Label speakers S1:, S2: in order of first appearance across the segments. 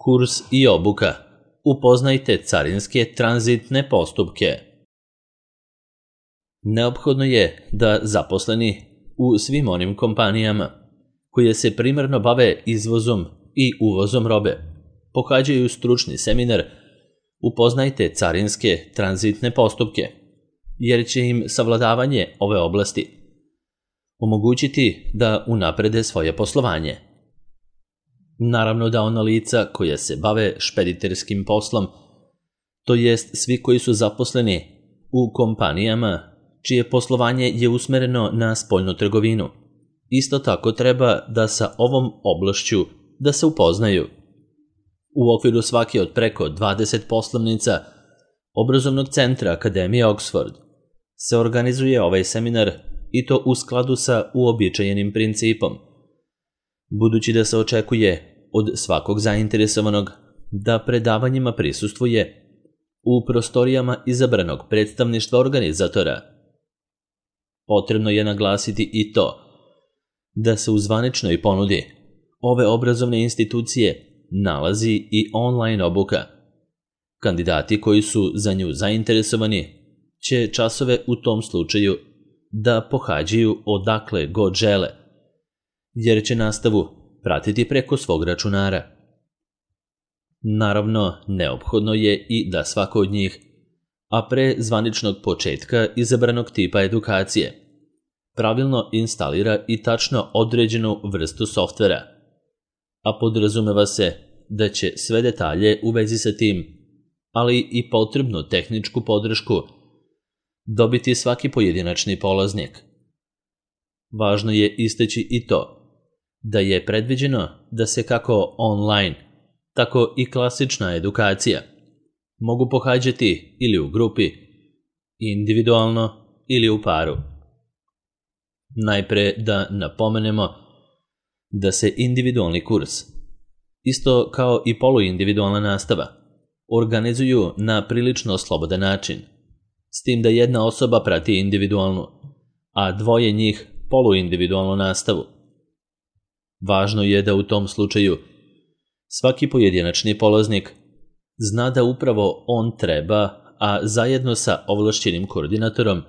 S1: Kurs i obuka. Upoznajte carinske tranzitne postupke. Neophodno je da zaposleni u svim onim kompanijama koje se primarno bave izvozom i uvozom robe pohađaju stručni seminar Upoznajte carinske tranzitne postupke, jer će im savladavanje ove oblasti omogućiti da unaprede svoje poslovanje. Naravno da ona lica koja se bave špediterskim poslom, to jest svi koji su zaposleni u kompanijama čije poslovanje je usmereno na spoljnu trgovinu, isto tako treba da sa ovom oblašću da se upoznaju. U okviru svake od preko 20 poslovnica obrazovnog centra Akademije Oxford se organizuje ovaj seminar i to u skladu sa uobičajenim principom, budući da se očekuje od svakog zainteresovanog da predavanjima prisustvuje u prostorijama izabranog predstavništva organizatora. Potrebno je naglasiti i to da se u zvaničnoj ponudi ove obrazovne institucije nalazi i online obuka. Kandidati koji su za nju zainteresovani će časove u tom slučaju da pohađaju odakle god žele, jer će nastavu pratiti preko svog računara. Naravno, neophodno je i da svako od njih, a pre zvaničnog početka izabranog tipa edukacije, pravilno instalira i tačno određenu vrstu softvera, a podrazumeva se da će sve detalje u vezi sa tim, ali i potrebnu tehničku podršku, dobiti svaki pojedinačni polaznik. Važno je istaći i to da je predviđeno da se kako online, tako i klasična edukacija mogu pohađati ili u grupi, individualno ili u paru. Najpre da napomenemo da se individualni kurs, isto kao i poluindividualna nastava, organizuju na prilično slobodan način, s tim da jedna osoba prati individualnu, a dvoje njih poluindividualnu nastavu. Važno je da u tom slučaju svaki pojedinačni polaznik zna da upravo on treba, a zajedno sa ovlašćenim koordinatorom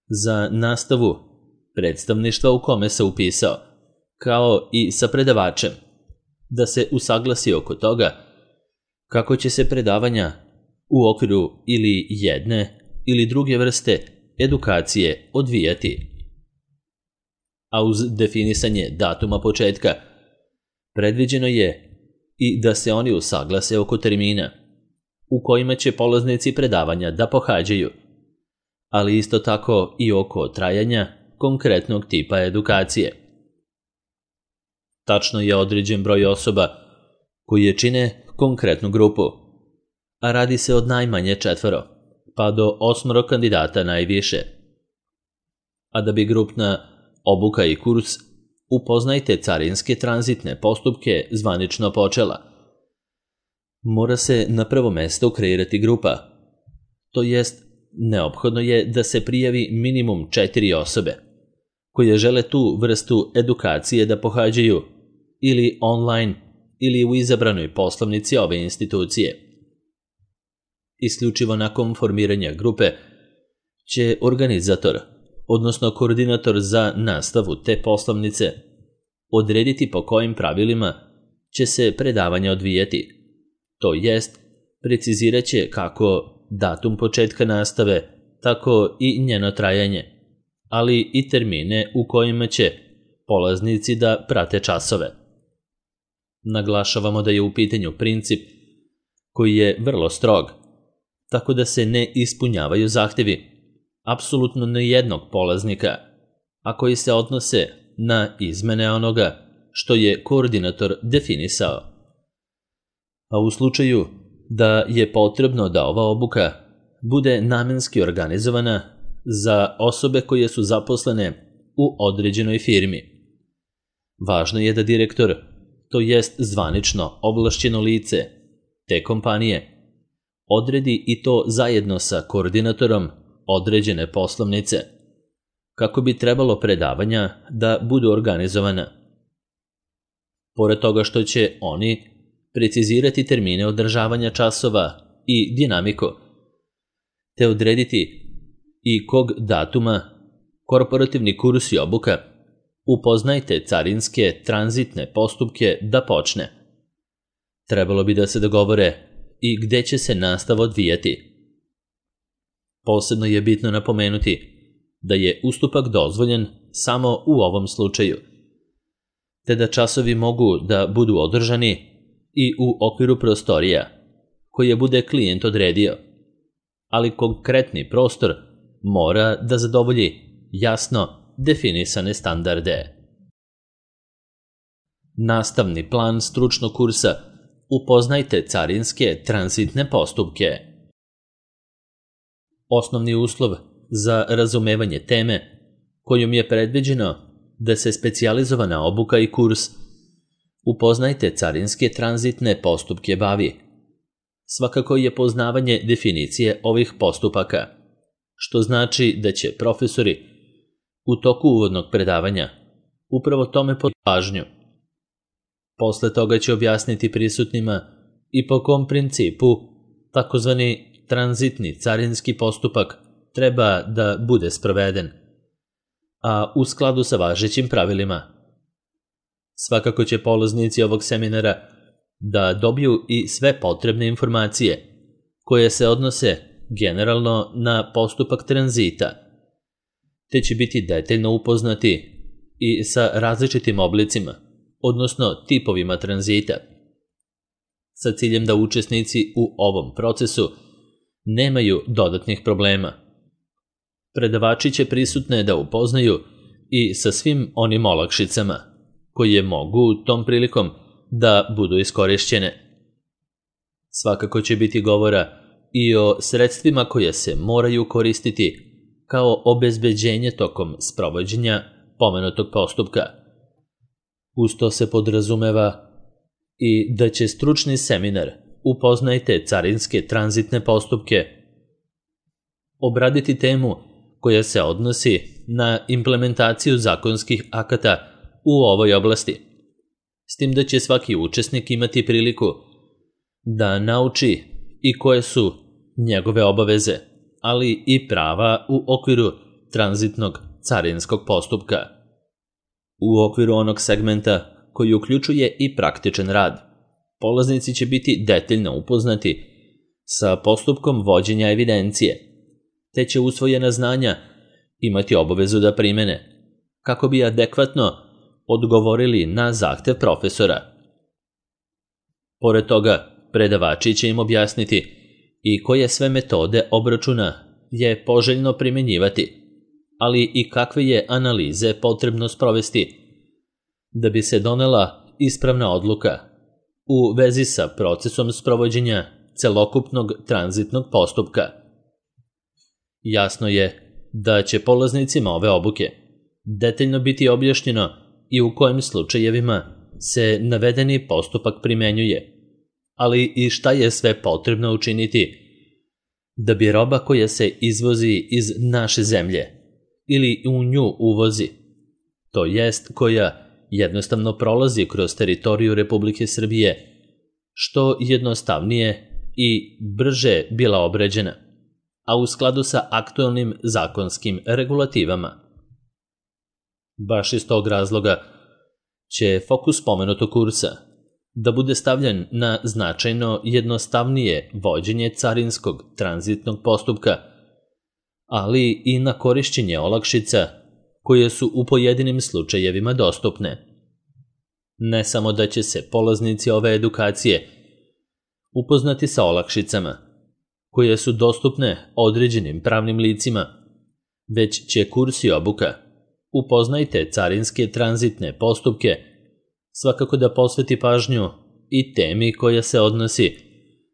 S1: za nastavu predstavništva u kome se upisao, kao i sa predavačem, da se usaglasi oko toga kako će se predavanja u okviru ili jedne ili druge vrste edukacije odvijati. A uz definisanje datuma početka predviđeno je i da se oni usaglase oko termina u kojima će polaznici predavanja da pohađaju, ali isto tako i oko trajanja konkretnog tipa edukacije. Tačno je određen broj osoba koji je čine konkretnu grupu, a radi se od najmanje 4, pa do 8 kandidata najviše. A da bi grupna obuka i kurs Upoznajte carinske tranzitne postupke zvanično počela, mora se na prvo mesto kreirati grupa, to jest neophodno je da se prijavi minimum 4 osobe koje žele tu vrstu edukacije da pohađaju ili online ili u izabranoj poslovnici ove institucije. Isključivo nakon formiranja grupe će organizator, odnosno koordinator za nastavu te poslovnice, odrediti po kojim pravilima će se predavanja odvijati, to jest precizirat će kako datum početka nastave, tako i njeno trajanje, ali i termine u kojima će polaznici da prate časove. Naglašavamo da je u pitanju princip koji je vrlo strog, tako da se ne ispunjavaju zahtevi apsolutno nijednog polaznika, a koji se odnose na izmene onoga što je koordinator definisao. A u slučaju da je potrebno da ova obuka bude namenski organizovana za osobe koje su zaposlene u određenoj firmi, važno je da direktor, to jest zvanično ovlašćeno lice te kompanije, odredi i to zajedno sa koordinatorom određene poslovnice, kako bi trebalo predavanja da budu organizovana. Pored toga što će oni precizirati termine održavanja časova i dinamiku, te odrediti i kog datuma korporativni kurs i obuka upoznajte carinske tranzitne postupke da počne. Trebalo bi da se dogovore i gde će se nastava odvijati. Posebno je bitno napomenuti da je ustupak dozvoljen samo u ovom slučaju, te da časovi mogu da budu održani i u okviru prostorija koje bude klijent odredio, ali konkretni prostor mora da zadovolji jasno definisane standarde. Nastavni plan stručnog kursa upoznajte carinske tranzitne postupke. Osnovni uslov za razumevanje teme kojom je predviđeno da se specijalizovana obuka i kurs upoznajte carinske tranzitne postupke bavi. Svakako je poznavanje definicije ovih postupaka, što znači da će profesori u toku uvodnog predavanja upravo tome posvetiti pažnju. Posle toga će objasniti prisutnima i po kom principu takozvani tranzitni carinski postupak treba da bude sproveden, a u skladu sa važećim pravilima. Svakako će polaznici ovog seminara da dobiju i sve potrebne informacije koje se odnose generalno na postupak tranzita, te će biti detaljno upoznati i sa različitim oblicima, odnosno tipovima tranzita, sa ciljem da učesnici u ovom procesu nemaju dodatnih problema. Predavači će prisutne da upoznaju i sa svim onim olakšicama koje mogu tom prilikom da budu iskorišćene. Svakako će biti govora i o sredstvima koje se moraju koristiti kao obezbeđenje tokom sprovođenja pomenutog postupka. Uz to se podrazumeva i da će stručni seminar upoznajte carinske tranzitne postupke obraditi temu koja se odnosi na implementaciju zakonskih akata u ovoj oblasti, s tim da će svaki učesnik imati priliku da nauči i koje su njegove obaveze, ali i prava u okviru tranzitnog carinskog postupka. U okviru onog segmenta koji uključuje i praktičan rad, polaznici će biti detaljno upoznati sa postupkom vođenja evidencije, te će usvojena znanja imati obavezu da primene, kako bi adekvatno odgovorili na zahtev profesora. Pored toga, predavači će im objasniti i koje sve metode obračuna je poželjno primenjivati, ali i kakve je analize potrebno sprovesti da bi se donela ispravna odluka u vezi sa procesom sprovođenja celokupnog tranzitnog postupka. Jasno je da će polaznicima ove obuke detaljno biti objašnjeno i u kojim slučajevima se navedeni postupak primenjuje, ali i šta je sve potrebno učiniti da bi roba koja se izvozi iz naše zemlje ili u nju uvozi, to jest koja jednostavno prolazi kroz teritoriju Republike Srbije, što jednostavnije i brže bila obrađena, a u skladu sa aktualnim zakonskim regulativama. Baš iz tog razloga će fokus pomenutog kursa da bude stavljen na značajno jednostavnije vođenje carinskog tranzitnog postupka, ali i na korišćenje olakšica koje su u pojedinim slučajevima dostupne. Ne samo da će se polaznici ove edukacije upoznati sa olakšicama koje su dostupne određenim pravnim licima, već će kurs i obuka upoznajte carinske tranzitne postupke svakako da posveti pažnju i temi koja se odnosi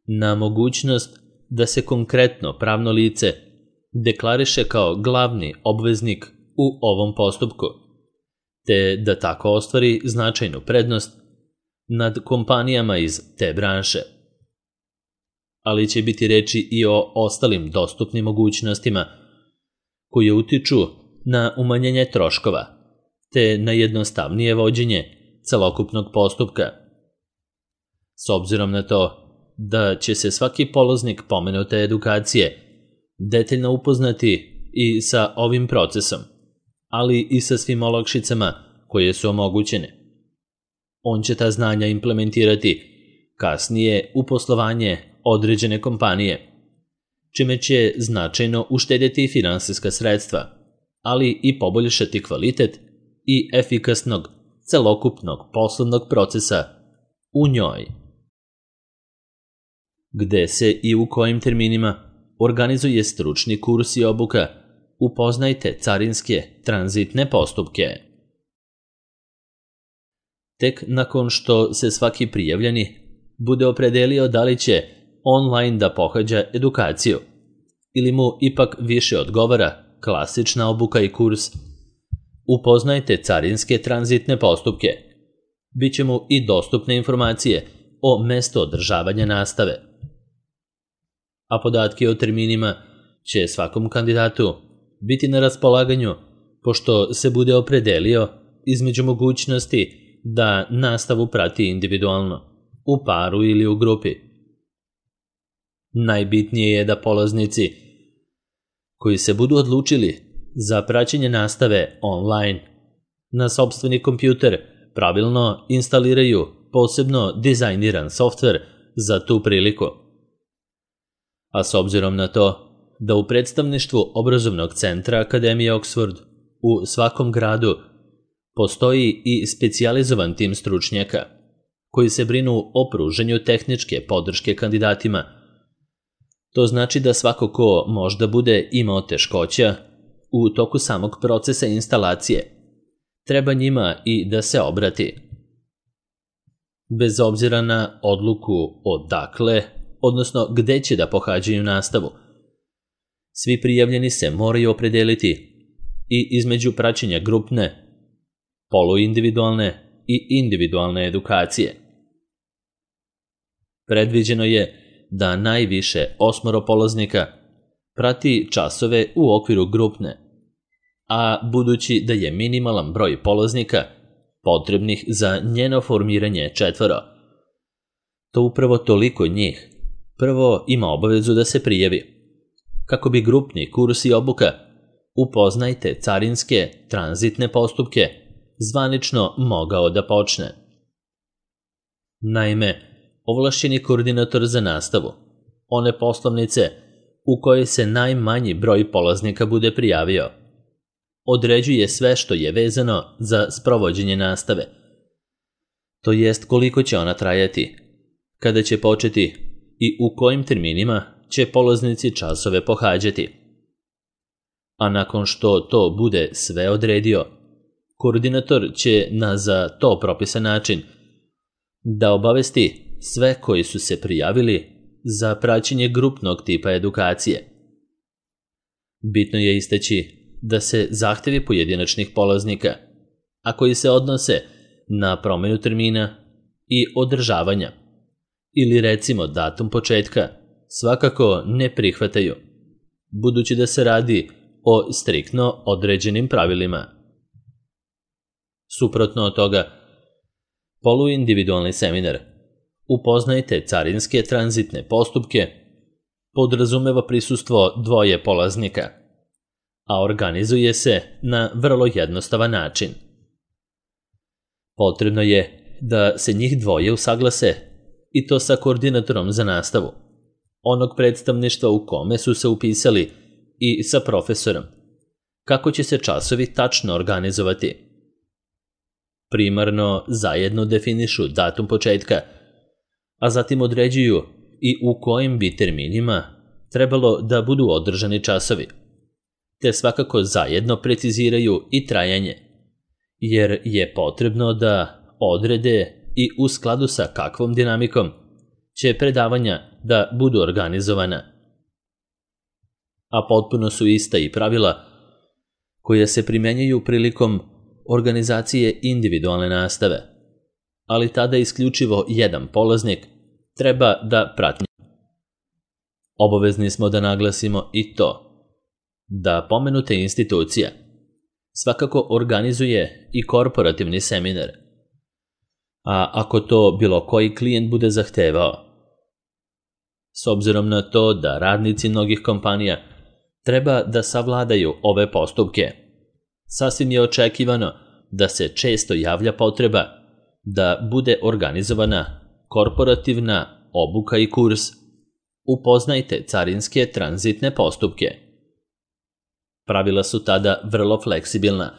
S1: na mogućnost da se konkretno pravno lice deklariše kao glavni obveznik u ovom postupku, te da tako ostvari značajnu prednost nad kompanijama iz te branše. Ali će biti reči i o ostalim dostupnim mogućnostima koje utiču na umanjenje troškova, te na jednostavnije vođenje celokupnog postupka. S obzirom na to da će se svaki polaznik pomenute edukacije detaljno upoznati i sa ovim procesom, ali i sa svim olakšicama koje su omogućene. On će ta znanja implementirati kasnije u poslovanje određene kompanije, čime će značajno uštedjeti finansijska sredstva, ali i poboljšati kvalitet i efikasnog celokupnog poslovnog procesa u njoj. Gde se i u kojim terminima organizuje stručni kurs i obuka, upoznajte carinske tranzitne postupke. Tek nakon što se svaki prijavljeni bude opredelio da li će online da pohađa edukaciju ili mu ipak više odgovara klasična obuka i kurs, upoznajte carinske tranzitne postupke. Biće mu i dostupne informacije o mestu održavanja nastave. A podatke o terminima će svakom kandidatu biti na raspolaganju pošto se bude opredelio između mogućnosti da nastavu prati individualno, u paru ili u grupi. Najbitnije je da polaznici koji se budu odlučili za praćenje nastave online na sopstveni kompjuter pravilno instaliraju posebno dizajniran softver za tu priliku. A s obzirom na to da u predstavništvu obrazovnog centra Akademije Oxford u svakom gradu postoji i specijalizovan tim stručnjaka koji se brinu o pružanju tehničke podrške kandidatima, to znači da svako ko možda bude imao teškoća u toku samog procesa instalacije, treba njima i da se obrati. Bez obzira na odluku odakle, odnosno gde će da pohađaju nastavu, svi prijavljeni se moraju opredeliti i između praćenja grupne, poluindividualne i individualne edukacije. Predviđeno je da najviše 8 polaznika prati časove u okviru grupne, a budući da je minimalan broj polaznika potrebnih za njeno formiranje 4, to upravo toliko njih prvo ima obavezu da se prijavi. Kako bi grupni kurs i obuka upoznajte carinske tranzitne postupke zvanično mogao da počne. Naime, ovlašćeni koordinator za nastavu one poslovnice u kojoj se najmanji broj polaznika bude prijavio određuje sve što je vezano za sprovođenje nastave, to jest koliko će ona trajati, kada će početi i u kojim terminima će polaznici časove pohađati. A nakon što to bude sve odredio, koordinator će na za to propisan način da obavesti sve koji su se prijavili za praćenje grupnog tipa edukacije. Bitno je istaći da se zahtevi pojedinačnih polaznika, a koji se odnose na promjenu termina i održavanja, ili recimo datum početka, svakako ne prihvataju, budući da se radi o striktno određenim pravilima. Suprotno od toga, poluindividualni seminar upoznajte carinske tranzitne postupke podrazumeva prisustvo 2 polaznika, a organizuje se na vrlo jednostavan način. Potrebno je da se njih 2 usaglase i to sa koordinatorom za nastavu, onog predstavništva u kome su se upisali i sa profesorom, kako će se časovi tačno organizovati. Primarno zajedno definišu datum početka, a zatim određuju i u kojim bi terminima trebalo da budu održani časovi, te svakako zajedno preciziraju i trajanje, jer je potrebno da odrede i u skladu sa kakvom dinamikom će predavanja da budu organizovana. A potpuno su ista i pravila koja se primenjuju prilikom organizacije individualne nastave, ali tada isključivo jedan polaznik treba da prati. Obavezni smo da naglasimo i to da pomenuta institucija svakako organizuje i korporativni seminar, a ako to bilo koji klijent bude zahtevao. S obzirom na to da radnici mnogih kompanija treba da savladaju ove postupke, sasvim je očekivano da se često javlja potreba da bude organizovana korporativna obuka i kurs. Upoznajte carinske tranzitne postupke. Pravila su tada vrlo fleksibilna.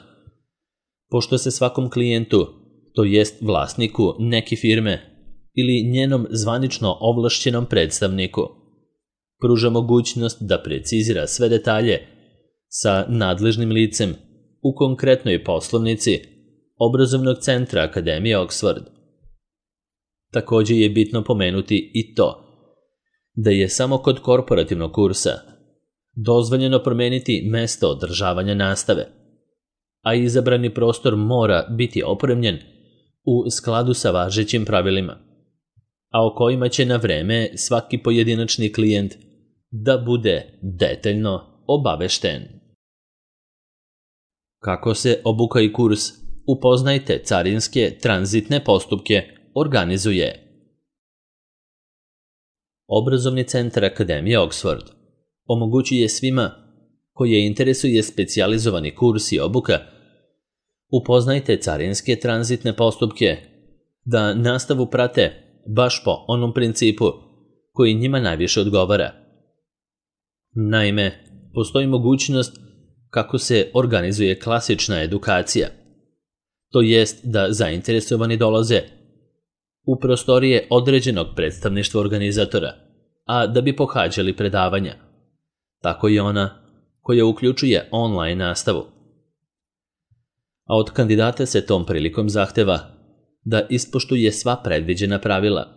S1: Pošto se svakom klijentu, to jest vlasniku neke firme ili njenom zvanično ovlašćenom predstavniku, pruža mogućnost da precizira sve detalje sa nadležnim licem u konkretnoj poslovnici obrazovnog centra Akademije Oxford. Također je bitno pomenuti i to da je samo kod korporativnog kursa dozvoljeno promeniti mesto održavanja nastave, a izabrani prostor mora biti opremljen u skladu sa važećim pravilima, a o kojima će na vreme svaki pojedinačni klijent da bude detaljno obavešten. Kako se obuka i kurs Upoznajte carinske tranzitne postupke organizuje? Obrazovni centar Akademije Oxford omogućuje svima koje interesuje specijalizovani kurs i obuka Upoznajte carinske tranzitne postupke da nastavu prate baš po onom principu koji njima najviše odgovara. Naime, postoji mogućnost kako se organizuje klasična edukacija, to jest da zainteresovani dolaze u prostorije određenog predstavništva organizatora, a da bi pohađali predavanja. Tako i ona koja uključuje online nastavu. A od kandidata se tom prilikom zahteva da ispoštuje sva predviđena pravila,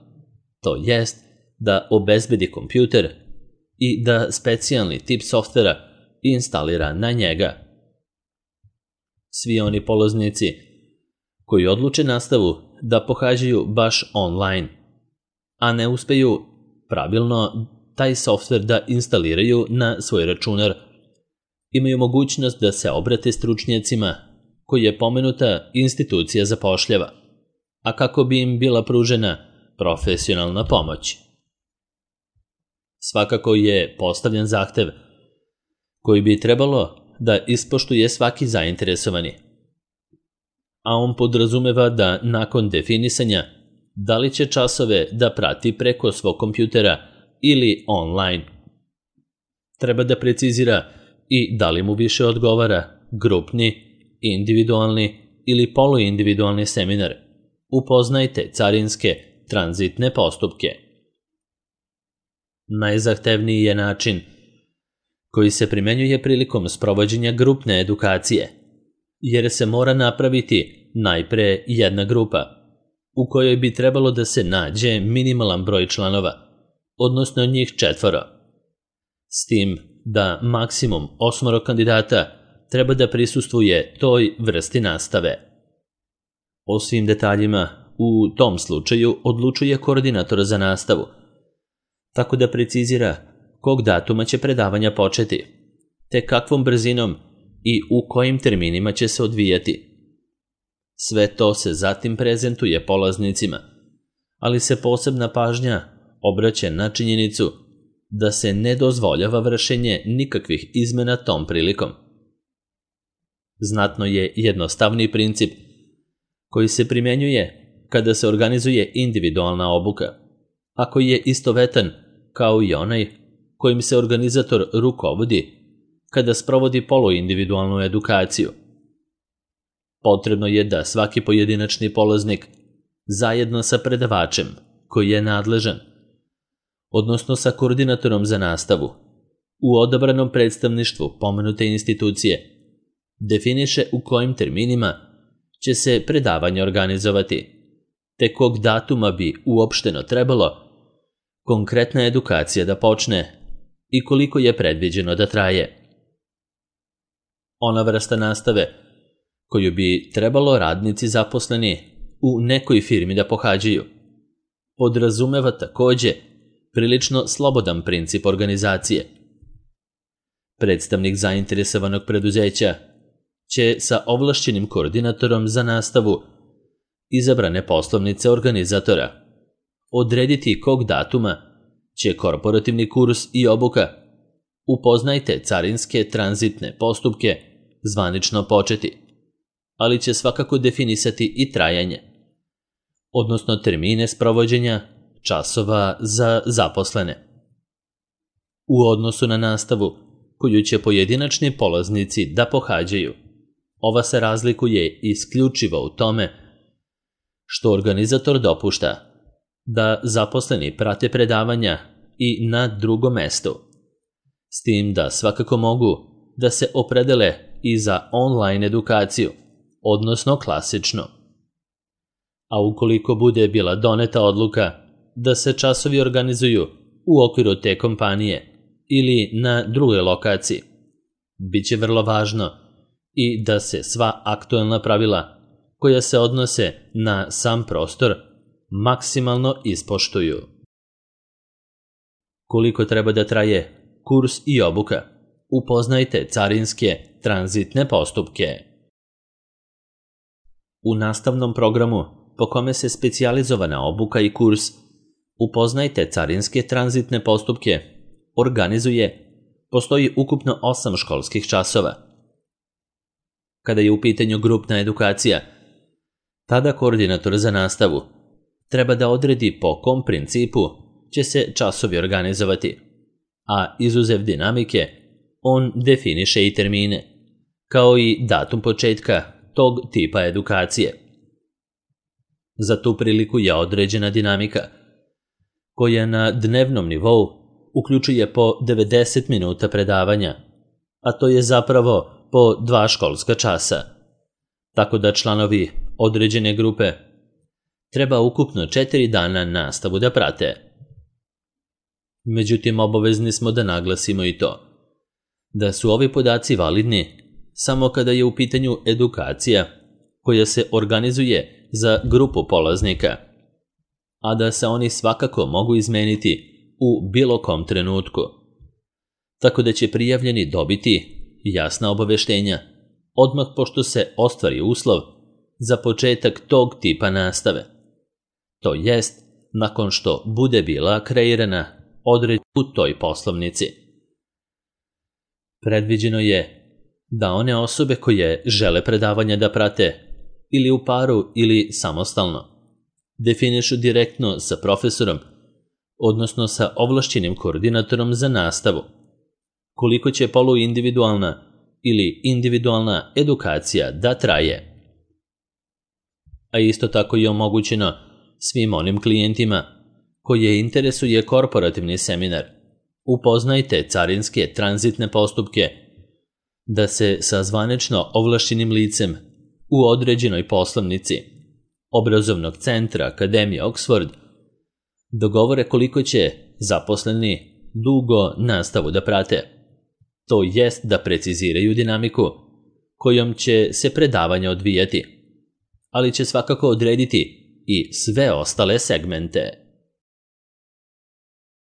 S1: to jest da obezbedi kompjuter i da specijalni tip softvera instalira na njega. Svi oni polaznici koji odluče nastavu da pohađaju baš online, a ne uspeju pravilno taj softver da instaliraju na svoj računar, imaju mogućnost da se obrate stručnjacima koji je pomenuta institucija zapošljava, a kako bi im bila pružena profesionalna pomoć. Svakako je postavljen zahtev koji bi trebalo da ispoštuje svaki zainteresovani, a on podrazumeva da nakon definisanja da li će časove da prati preko svog kompjutera ili online, treba da precizira i da li mu više odgovara grupni, individualni ili poluindividualni seminar. Upoznajte carinske tranzitne postupke. Najzahtevniji je način koji se primenjuje prilikom sprovođenja grupne edukacije, jer se mora napraviti najpre jedna grupa, u kojoj bi trebalo da se nađe minimalan broj članova, odnosno njih 4, s tim da maksimum 8 kandidata treba da prisustvuje toj vrsti nastave. O svim detaljima u tom slučaju odlučuje koordinator za nastavu, tako da precizira kog datuma će predavanja početi, te kakvom brzinom i u kojim terminima će se odvijati. Sve to se zatim prezentuje polaznicima, ali se posebna pažnja obraća na činjenicu da se ne dozvoljava vršenje nikakvih izmena tom prilikom. Znatno je jednostavni princip koji se primjenjuje kada se organizuje individualna obuka, a koji je istovetan kao i onaj kojim se organizator rukovodi kada sprovodi poluindividualnu edukaciju. Potrebno je da svaki pojedinačni polaznik zajedno sa predavačem koji je nadležan, odnosno sa koordinatorom za nastavu, u odabranom predstavništvu pomenute institucije, definiše u kojim terminima će se predavanje organizovati, te kog datuma bi uopšteno trebalo konkretna edukacija da počne i koliko je predviđeno da traje. Ona vrsta nastave koju bi trebalo radnici zaposleni u nekoj firmi da pohađaju podrazumeva također prilično slobodan princip organizacije. Predstavnik zainteresovanog preduzeća će sa ovlašćenim koordinatorom za nastavu izabrane poslovnice organizatora, odrediti kog datuma će korporativni kurs i obuka Upoznajte carinske tranzitne postupke zvanično početi, ali će svakako definisati i trajanje, odnosno termine sprovođenja časova za zaposlene. U odnosu na nastavu koju će pojedinačni polaznici da pohađaju, ova se razlikuje isključivo u tome što organizator dopušta da zaposleni prate predavanja i na drugom mestu, s tim da svakako mogu da se opredele i za online edukaciju, odnosno klasično. A ukoliko bude bila doneta odluka da se časovi organizuju u okviru te kompanije ili na drugoj lokaciji, bit će vrlo važno i da se sva aktuelna pravila koja se odnose na sam prostor maksimalno ispoštuju. Koliko treba da traje kurs i obuka? Upoznajte carinske tranzitne postupke. U nastavnom programu po kome se specijalizovana obuka i kurs Upoznajte carinske tranzitne postupke organizuje, postoji ukupno 8 školskih časova. Kada je u pitanju grupna edukacija, tada koordinator za nastavu treba da odredi po kom principu će se časovi organizovati, a izuzev dinamike, on definiše i termine, kao i datum početka tog tipa edukacije. Za tu priliku je određena dinamika, koja na dnevnom nivou uključuje po 90 minuta predavanja, a to je zapravo po 2 školska časa, tako da članovi određene grupe treba ukupno 4 dana nastavu da prate. Međutim, obavezni smo da naglasimo i to, da su ovi podaci validni samo kada je u pitanju edukacija koja se organizuje za grupu polaznika, a da se oni svakako mogu izmeniti u bilo kom trenutku. Tako da će prijavljeni dobiti jasna obaveštenja odmah pošto se ostvari uslov za početak tog tipa nastave. To jest, nakon što bude bila kreirana odredba u toj poslovnici. Predviđeno je da one osobe koje žele predavanja da prate ili u paru ili samostalno definišu direktno sa profesorom, odnosno sa ovlašćenim koordinatorom za nastavu, koliko će poluindividualna ili individualna edukacija da traje. A isto tako je omogućeno svim onim klijentima koje interesuje korporativni seminar Upoznajte carinske tranzitne postupke da se sa zvanično ovlašćenim licem u određenoj poslovnici obrazovnog centra Akademije Oxford dogovore koliko će zaposleni dugo nastavu da prate. To jest da preciziraju dinamiku kojom će se predavanja odvijati, ali će svakako odrediti i sve ostale segmente.